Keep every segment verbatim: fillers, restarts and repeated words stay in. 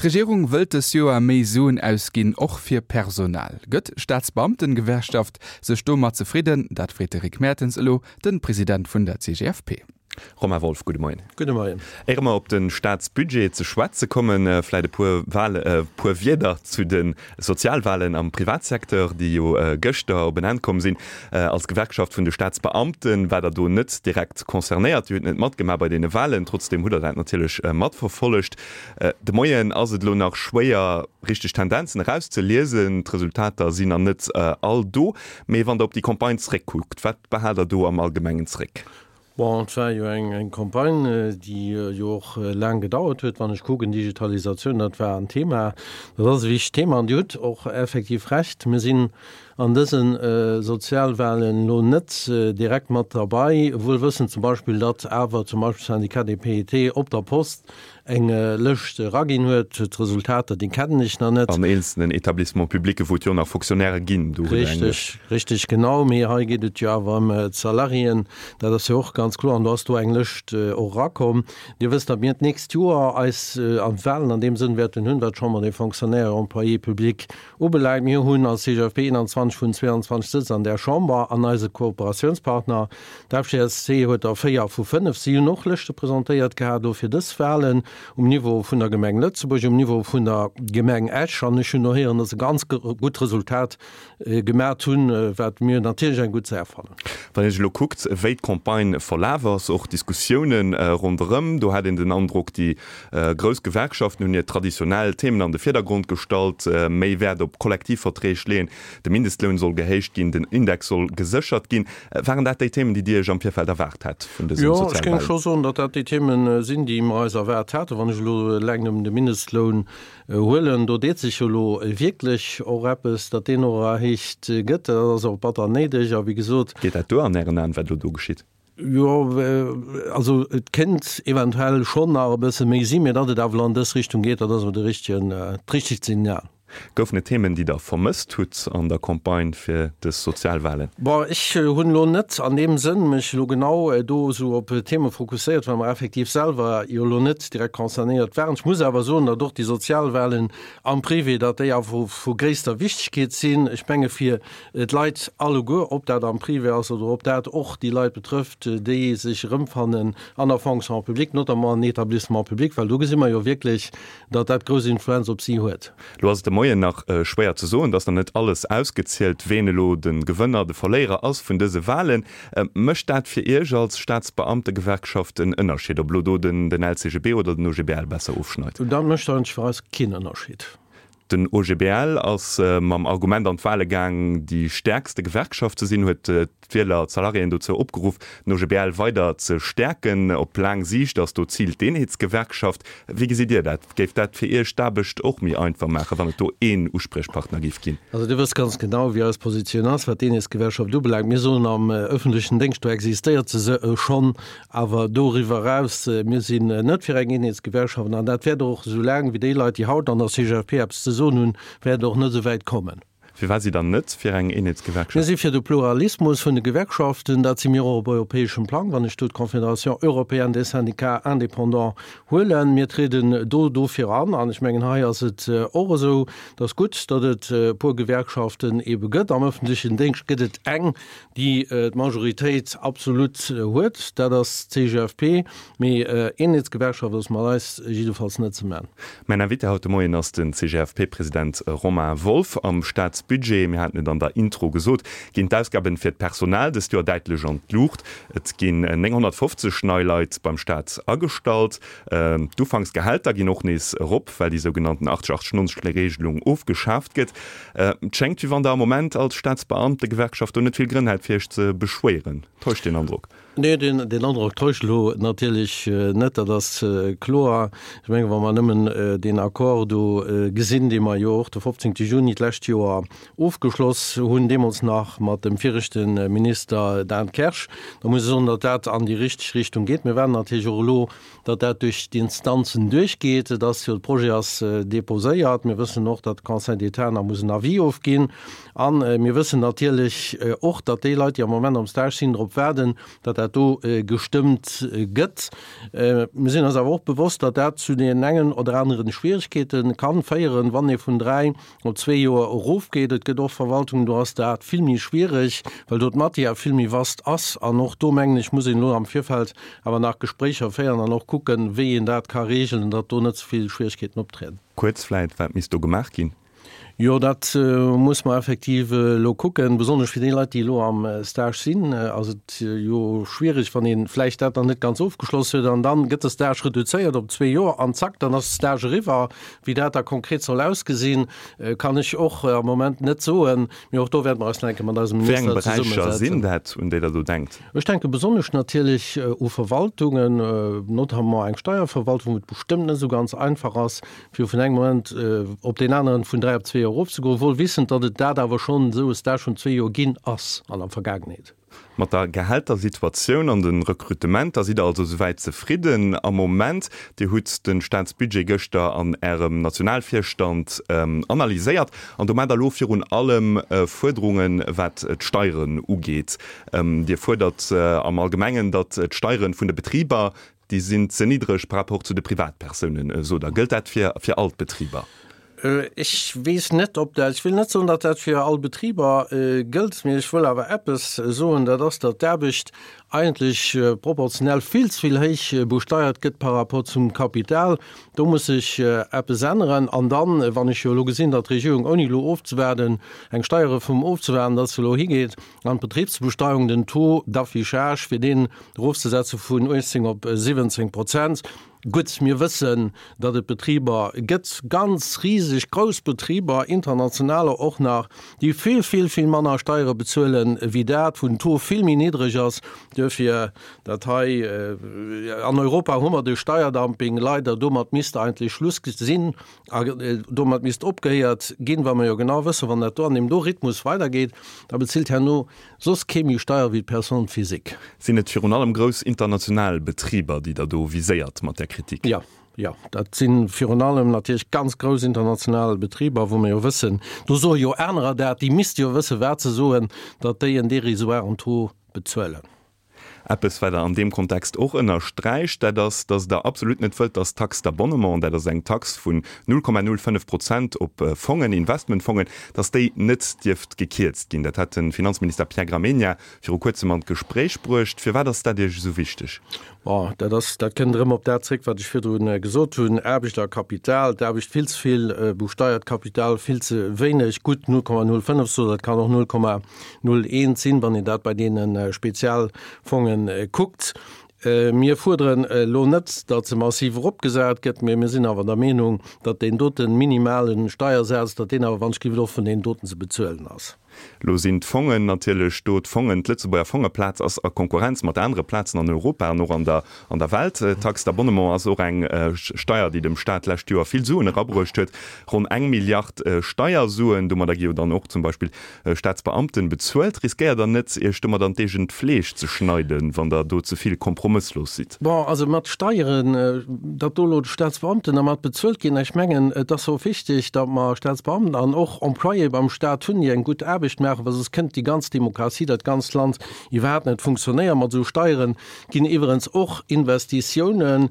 D'Regierung wëllt dës Joer méi Suen ausginn, och fir Personal. Gëtt d'Staatsbeamtengewerkschaft sech domat zefridden? Dat freet de Rick Mertens elo de President vun der C G F P. Romain Wolff, gudde Moien. Gudde Moien. Éier mer op de Staatsbudget ze schwätze kommen, vläit e puer Wale, puer Wierder zu de Sozialwalen am Privatsecteur, déi jo gëschter op en Enn komm sinn. Als Gewerkschaft vun de Staatsbeamten waart der do net direkt concernéiert, Dir hutt net matgemaach bei deene Walen, trotzdeem hutt der dat natierlech matverfollegt. De Moien ass et elo nach schwéier, richteg Tendenzen erauszeliesen, d'Resultater sinn nach net all do. Mee wann der op déi Campagne zeréckkuckt, wat behaalt der do am Allgemengen zeréck? Bon, et war jo eng eng Campagne, déi jo och laang gedauert huet. Wann ech kucken, Digitalisatioun, dat war en Thema, dat ass e wichtegt Thema. An Dir hutt och effektiv Recht, mir sinn an dëse Sozialwahlen elo net direkt mat derbei, wuel wëssend zum Beispill, datt awer zum Beispill Syndicat des P E T op der Post eng Lëscht eraginn huet. D'Resultater, déi kennen ech nach net. An eenzelnen Établissements publics, wou et jo nach Fonctionnairë ginn, do huet eng Lëscht. Richteg, richteg, genau. Mee hei geet et jo awer ëm d'Salariéen, dat ass jo och ganz kloer. An do ass do eng Lëscht och erakomm. Dir wësst, datt mir d'nächst Joer eis an d'Wahlen an deem Sënn wäerten hunn, wat d'Chambre des Fonctionnaires et Employés publics ubelaangt. Mir hunn als C G F P einundzwanzeg vun zweiundzwanzeg Sëtz an där Chamber an eise Kooperatiounspartner, d'F G S C, huet der véier vu fënnef. Si hunn och Lëschte presentéiert gehat do fir dës Wahlen um Niveau vun der Gemeng Lëtzebuerg, um Niveau vun der Gemeng Esch. An ech hunn och héieren, datt se ganz gutt Resultat gemat hunn, wat mir natierlech eng gutt Saach fannen. Wann een sech elo kuckt, wéi d'Campagne verlaf ass, och d'Diskussiounen ronderëm, do hat een den Androck, déi grouss Gewerkschaften hunn hir traditionell Themen an de Virdergrond gestallt, méi Wäert op Kollektivverträg leeën, de Mindestloun soll gehéicht ginn, den Index soll geséchert ginn. Waren dat déi Themen, déi Dir Iech am Virfeld erwaart hat vun dësen Sozialwahlen? Jo, ech géing scho soen, datt dat déi Themen sinn, déi mer eis erwaart haten. Wann ech elo eleng nëmmen de Mindestloun huelen, do deet sech jo elo wierklech och eppes, datt deen och erhéicht gëtt. Dat ass och batter néideg. A wéi gesot. Geet dat duer an Ären Aen, wat elo do geschitt? Jo, also et kéint eventuell schonn nach e bësse méi sinn, mä datt et awer elo an dës Richtung geet, dat ass awer de richtegen, d'richtegt Signal. Goufen et Themen, déi Der vermësst hutt an der Campagne fir dës Sozialwahlen? Bon, ech hunn elo net an deem Sënn mech elo genau do esou op Theme fokusséiert, well mer effektiv selwer jo elo net direkt concernéiert waren. Ech muss awer soen, datt och déi Sozialwahlen am Privé, datt déi awer vu gréisster Wichtigkeet sinn. Ech menge fir d'Leit alleguer, ob dat am Privé ass oder ob dat och déi Leit betrëfft, déi sech erëmfannen an der Fonction publique, notamment an Établissements publics, well do gesi mer jo wierklech, datt dat grouss Influenz op si huet. Lo ass et de Moien nach schwéier ze soen, et ass nach net alles ausgezielt, ween elo de Gewënner, de Verléierer ass vun dëse Wahlen. Mécht dat fir Iech als Staatsbeamtegewerkschaft en Ënnerscheed, ob elo do den L C G B oder den O G B L besser ofschneit? Dat mécht eigentlech fir eis keen Ënnerscheed. Den O G B L ass mam Argument an d'Wahle gaang, déi stäerkste Gewerkschaft ze sinn, huet d'Wieler, d'Salariéen dozou opgeruff, den O G B L weider ze stäerken. Op laang Siicht ass do d'Zil d'Eenheetsgewerkschaft. Wéi gesitt Dir dat? Géif dat fir Iech d'Aarbecht och méi einfach maachen, wann et do een Uspriechpartner géif ginn? Also Dir wësst ganz genau, wéi eis Positioun ass, wat d'Eenheetsgewerkschaft ubelaangt. Mir soen, am öffentlechen Déngscht, do existéiert se se schonn, awer doriwwer eraus, mir sinn net fir eng Eenheetsgewerkschaft an dat wäert och, esou laang wéi déi Leit, déi haut an der C G F P eppes ze soen hunn, wäert och net esou wäit kommen. Firwat sidd Der net fir eng Mir Eenheetsgewerkschaft? si fir de Pluralismus vun de Gewerkschaften. Dat si mir och op europäeschem Plang, wann ech do d'Confédération européenne des syndicats indépendants huelen. Mir trieden do dofir an. An ech mengen, hei ass et och esou, et ass gutt, datt et e puer Gewerkschaften ebe gëtt. Am öffentlechen Déngscht gëtt et eng, déi d'Majoritéit absolut huet, dat ass d'C G F P. Mee Eenheetsgewerkschaft ass mat eis jiddefalls net ze man. Mäin Invité haut de Moien ass den C G F P-President Romain Wolff. Am Staatsbudget, mir haten et an der Intro gesot, ginn d'Ausgaben fir d'Personal dëst Joer däitlech an d'Luucht. Et ginn nénghonnertfofzeg nei Leit beim Staat agestallt. D'Ufanksgehälter ginn och nees erop, well déi sougenannten achtzeg achtzeg nonzeg Regelung ofgeschaaft gëtt. Et schéngt, wéi wann Der am Moment als Staatsbeamtegewerkschaft do net vill Grënn hätt, fir Iech ze beschwéieren. Täuscht deen Androck? Nee, deen, deen Androck täuscht elo natierlech net, dat ass kloer. Ech mengen, wa mer nëmmen deen Accord do gesinn, dee mer jo och de fofzéngte Juni d'lescht Joer ofgeschloss hunn, deemools nach mat dem viregte Minister Dan Kersch, da muss ech soen, datt dat an déi richteg Richtung geet. Mir waarden natierlech och elo, datt dat duerch d'Instanzen duerchgeet. Et ass jo, de Projet ass déposéiert. Mir wëssen och, datt de Conseil d'État nach muss en Avis ofginn. A mir wëssen natierlech och, datt déi Leit, déi am Moment am Stage sinn, drop waarden, datt dat dat do gestëmmt gëtt. Mir sinn eis awer och bewosst, datt dat zu den engen oder aneren Schwieregkeete kann féieren, wann ee vun dräi op zwee Joer erofgeet. Et gëtt och Verwaltungen, do ass dat vill méi schwiereg, well do d'Matière vill méi vast ass. An och do, mengen ech, muss een elo am Virfeld awer nach Gespréicher féieren an och kucken, wéi een dat ka regeln, datt do net ze vill Schwieregkeeten optrieden. Kuerz vläit, wat misst do gemaach ginn? Jo, dat muss mer effektiv elo kucken. Besonnesch fir déi Leit, déi elo am Stage sinn, ass et jo schwierig, wann ee vläicht dat nach net ganz ofgeschloss huet an dann gëtt de Stage reduzéiert op zwee Joer an zack, dann ass de Stage eriwwer. Wéi dat da konkret soll ausgesinn, kann ech och am Moment net soen. Mee och do wäerte mer eis nach eng Kéier mat eisem Wéi eng Minister Beräicher zesummesetzen. sinn dat, un déi Der do denkt? Ech denke besonnesch natierlech u Verwaltungen, notamment eng Steierverwaltung, wou et bestëmmt net esou ganz einfach ass, fir vun engem Moment op deen aneren vun dräi op zwee Joer erofzegoen, wuel wissend, datt et dat awer schonn esou e Stage vun zwee Joer ginn ass an der Vergaangenheet. Mat der Gehältersituatioun an de Rekrutementer sidd Der also souwäit zefridden am Moment. Dir hutt de Staatsbudget gëschter an Ärem Nationalvirstand analyséiert an do maacht Der elo virun allem Fuerderungen, wat d'Steieren ugeet. Dir fuerdert am Allgemengen, datt d'Steiere vun de Betriber, déi sinn ze niddreg par rapport zu de Privatpersounen, sot Der. Gëllt dat fir all d'Betriber? Ech weess net, ob dat, ech wëll net soen, datt dat fir all Betriber gëllt, mee ech wëll awer eppes soen, dat ass, datt d'Aarbecht eigentlech proportionell vill ze vill héich besteiert gëtt par rapport zum Kapital. Do muss sech eppes änneren. An dann, wann ech jo elo gesinn, datt d'Regierung, ouni elo ofzewaarden, eng Steierreform ofzewaarden, datt se elo higeet an d'Betribsbesteuerung, den Taux d'affichage, fir deen erofzesetze vun uechtzéng op siwwenzéng Prozent, Gutt, mir wëssen, datt et Betriber gëtt, ganz riseg grouss Betriber, internationaler och nach, déi vill, vill, vill manner Steiere bezuelen wéi dat, wou den Taux vill méi niddreg ass. Duerfir dat hei, an Europa hu mer de Steierdumping leider, domat misst eigentlech Schluss sinn a domat misst opgehéiert ginn, well mer jo genau wëssen, wann dat do an deem do Rhythmus weidergeet, da bezilt herno soss kee méi Steier wéi d'Personne physique. Sinn et virun allem grouss international Betriber, déi Der do viséiert mat där Kritik? Jo, jo, dat si virun allem natierlech ganz grouss international Betriber, wou mer jo wëssen, do soe jo anerer dat, déi misste jo wëssen, wat se soen, datt déi en dérisoiren Taux bezuelen. Eppes, wat Der an deem Kontext och ënnersträicht, dat ass, datt Der absolut net wëllt, datt d'Taxe d'abonnement, dat ass eng Tax vun null Komma null fënnef Prozent op Fongen, Investmentfongen, datt déi net dierft gekierzt ginn. Dat hat de Finanzminister Pierre Gramegna viru Kuerzem an d'Gespréich bruecht. Firwat ass dat Iech esou wichteg? Bon, dat ass, dat kënnt erëm op dat zréck, wat ech virdru gesot hunn, Aarbecht a Kapital, d'Aarbecht vill ze vill besteiert, d'Kapital vill ze wéineg. Gutt, null Komma null fënnef sot, dat kann och null Komma null eent sinn, wann een dat bei deene Spezialfonge kuckt. Mir fuerderen elo net, datt se massiv eropgesat gëtt, mee mir sinn awer der Meenung, datt deen dote minimale Steiersaz, datt deen awer wann ech géif och vun deenen doten ze bezuelen ass. Lo sinn d'Fongen natierlech do, d'Fongen, d'Lëtzebuerger Fongeplaz ass a Konkurrenz mat anere Plazen an Europa an och an der an der Welt. D'Taxe d'abonnement ass och eng Steier, déi dem Staat d'lescht Joer vill Suen erabruecht huet, ronn eng Milliard Steiersuen. Domadder gi jo dann och zum Beispill Staatsbeamten bezuelt. Riskéiert Der net, Iech domat an d'eegent Fleesch ze schneiden, wann Der do ze vill kompromësslos sidd? Bon, also mat Steieren, datt do elo d'Staatsbeamten dermat bezuelt ginn, ech mengen, et ass och wichteg, datt mer Staatsbeamten an och Employéë beim Staat hunn, déi eng gutt Aarbecht maachen, well soss kënnt déi ganz Demokratie, dat ganzt Land iwwerhaapt net funktionéieren. Mat esou Steiere ginn iwwerens och Investitiounen,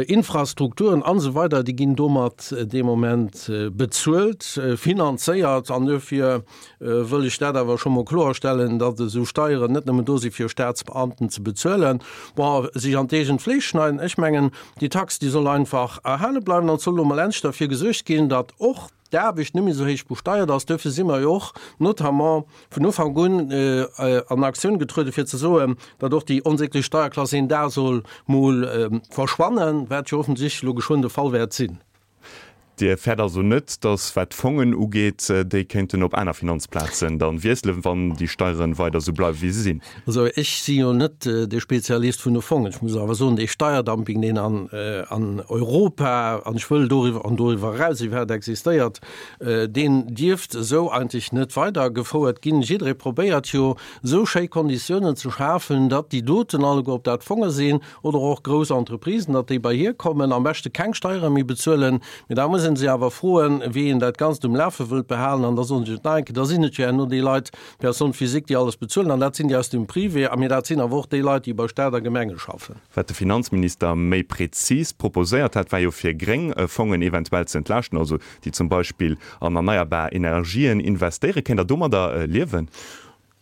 Infrastrukturen an esou weider, déi ginn domat dee Moment bezuelt, finanzéiert. An duerfir wëll ech dat awer scho mol kloerstellen, datt esou Steieren net nëmmen do si fir Staatsbeamten ze bezuelen. Bon, sech an d'eegent Fleesch schneiden, ech mengen, déi Tax, déi soll einfach erhale bleiwen an et soll elo mol endlech derfir gesuergt ginn, datt och d'Aarbecht net méi esou héich besteiert ass. Duerfir si mer jo och notamment vun Ufank un an Aktioun getrueden, fir ze soen, datt och déi onsäglech Steierklass een Dag soll mol verschwannen, wat jo offensichtlech elo geschwënn de Fall wäert sinn. Dir fäert also net, datt, wat d'Fongen ugeet, déi kéinten op aner Finanzplazen dann wiesselen, wann déi Steieren weider esou bleiwen, wéi se sinn? Also ech si jo net de Spezialist vun de Fongen. Ech muss awer soen, dee Steierdumping, deen an Europa, an ech wëll doriwwer, an doriwwer eraus iwwerhaapt existéiert, deen dierft esou eigentlech net weidergefouert ginn. Jidderee probéiert jo, esou schéi Konditiounen ze schafen, datt déi doten alleguer, ob dat Fonge sinn oder och grouss Entreprisen, datt déi bei hir kommen, am beschte keng Steiere méi bezuelen. Mee da muss een sinn se awer froen, wéi een dat Ganzt um Lafe wëllt behalen. An da soen ech et nach eng Kéier, da sinn et jo herno déi Leit, d'Personnes physiques, déi alles bezuelen. An dat sinn déi aus dem Privé, a mee dat sinn awer och déi Leit, déi bei Stat a Gemenge schaffen. Wat de Finanzminister méi prezis proposéiert hat, war jo fir gréng Fongen eventuell ze entlaaschten, also déi zum Beispill an erneierbar Energien investéieren. Kéint Der domadder liewen?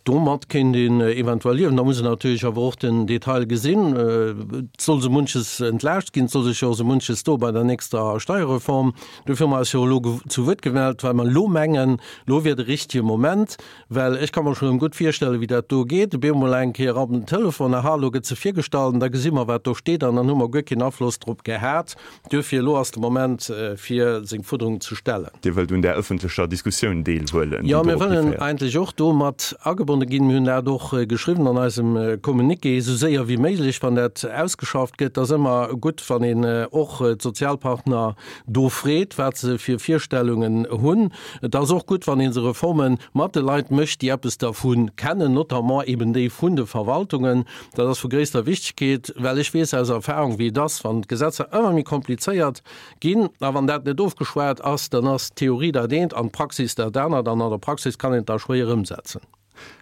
Domat kéint een eventuell liewen. Da muss een natierlech awer och den Detail gesinn. Et soll sou munches entlaascht ginn, et soll sech jo och sou munches doe bei der nächster Steierreform. Dofir hu mer eis jo elo zu Wuert gemellt, well mer elo mengen, elo wier de richtige Moment, well ech ka mer schonn gutt virstellen, wéi dat do geet, op eemol eng Kéier op den Telefon, aha, elo gëtt se virgestallt an da gesi mer, wat do steet an dann hu mer guer keen Afloss drop gehat. Duerfir, elo ass de Moment, fir seng Fuerderungen ze stellen. Dir wëllt un där ëffentlecher Diskussioun deelhuelen, déi Jo, mir dorop wëllen hiféiert. eigentlech och do mat agebonne ginn. Mir hunn dat och geschriwwen an eisem Communiqué, esou séier wéi méiglech, wann dat ausgeschafft gëtt. Et ass ëmmer gutt, wann een och d'Sozialpartner do freet, wat se fir Virstellungen hunn. Et ass och gutt, wann ee se Reforme mat de Leit mécht, déi eppes dervu kennen, notamment eben déi vun de Verwaltungen. Dat ass vu gréisster Wichtigkeet, well ech weess aus Erfahrung, wéi et ass, wann d'Gesetzer ëmmer méi komplizéiert ginn a wann dat net ofgeschwat ass, dann ass d'Theorie dat eent an d'Praxis dat anert an an der Praxis kann een et da schwéier ëmsetzen.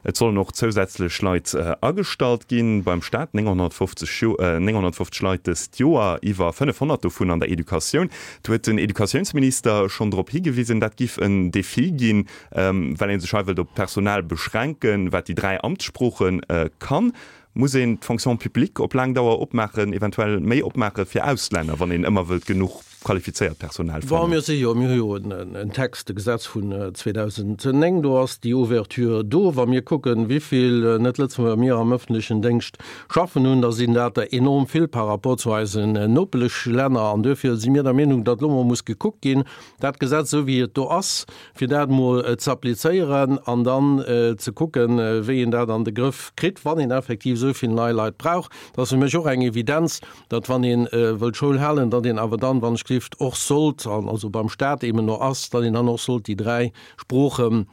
Et sollen och zousätzlech Leit agestallt ginn beim Staat, nénghonnertfofzeg Leit dëst Joer, iwwer fënnefhonnert dovun an der Educatioun. Do huet den Educatiounsminister schonn drop higewisen, dat giff en Defi ginn, well ee sech hei wëllt op d'Personal beschränken, wat déi dräi Amtssprooche kann. Muss een d'Fonction publique op laang Dauer opmaachen, eventuell méi opmaache fir Auslänner, wann een ëmmer wëllt genuch qualifizéiert Personal Bon, fannen? mir si jo, mir hu jo en Text, e Gesetz vun zweedausendnéng, do ass déi Ouverture do. Wa mir kucken, wéivill Net-Lëtzebuerger mir am öffentlechen Déngscht schaffen hunn, da sinn dat der enorm vill par rapport zu eisen Nopeschlänner. An duerfir si mir der Meenung, datt elo mol muss gekuckt ginn, dat Gesetz, esou wéi et do ass, fir dat emol ze applizéieren an dann ze kucken, wéi een dat an de Grëff kritt, wann een effektiv esou vill nei Leit brauch. Dat ass fir mech och eng Evidenz, datt wann ee wëllt Schoul halen, datt een awer dann, wann ech gelift, och sollt, an also beim Stat eben no ass, datt een dann och sollt déi dräi Sprooche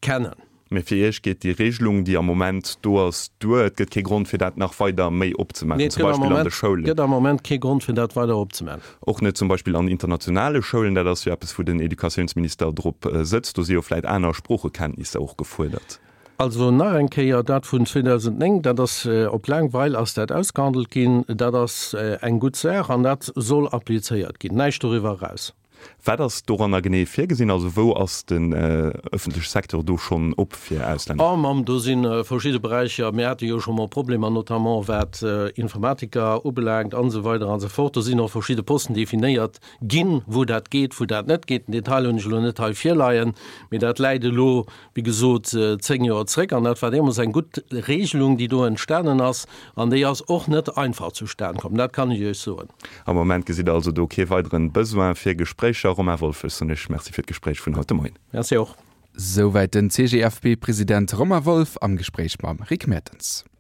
kennen. Mee fir Iech geet déi Regelung, déi am Moment do ass, duer? Et gëtt kee Grond, fir dat nach weider méi opzemaachen, Nee, et zum gëtt am Beispill an Moment, de Schoulen? gëtt am Moment kee Grond, fir dat weider opzemaachen. Och net zum Beispill an internationale Schoulen? Dat ass jo eppes, wou den Educatiounsminister drop sëtzt. Do si jo vläit aner Sproochekenntnisser och gefuerdert. Also nach eng Kéier, dat vun zweedausendnéng, dat ass op laang Weil ass dat ausgehandelt ginn, dat ass eng gutt Saach an dat soll applizéiert ginn, näischt doriwwer eraus. Wat ass doranner genee virgesinn? Also wou ass den ëffentleche Secteur do schonn op fir Auslänner? Oh Mamm, do si verschidde Beräicher. Mir hate jo scho mol Problemer, notamment wat Informatiker ubelaangt an esou weider an esou fort. Do sinn och verschidde Posten definéiert ginn, wou dat geet, wou dat net geet. Den Detail hunn ech elo net hei virleien, mee dat läit elo, wéi gesot, zéng Joer zréck. An dat war deemools eng gutt Regelung, déi do entstanen ass. An déi ass och net einfach zustan komm, dat kann ech Iech soen. Am Moment gesitt Der also do kee weideren Besoin fir Gespréicher. Romain Wolff, ech soen Iech Merci fir d'Gespréich vun haut de Moien. Merci och. Souwäit den C G F P-President Romain Wolff am Gespréich mam Rick Mertens.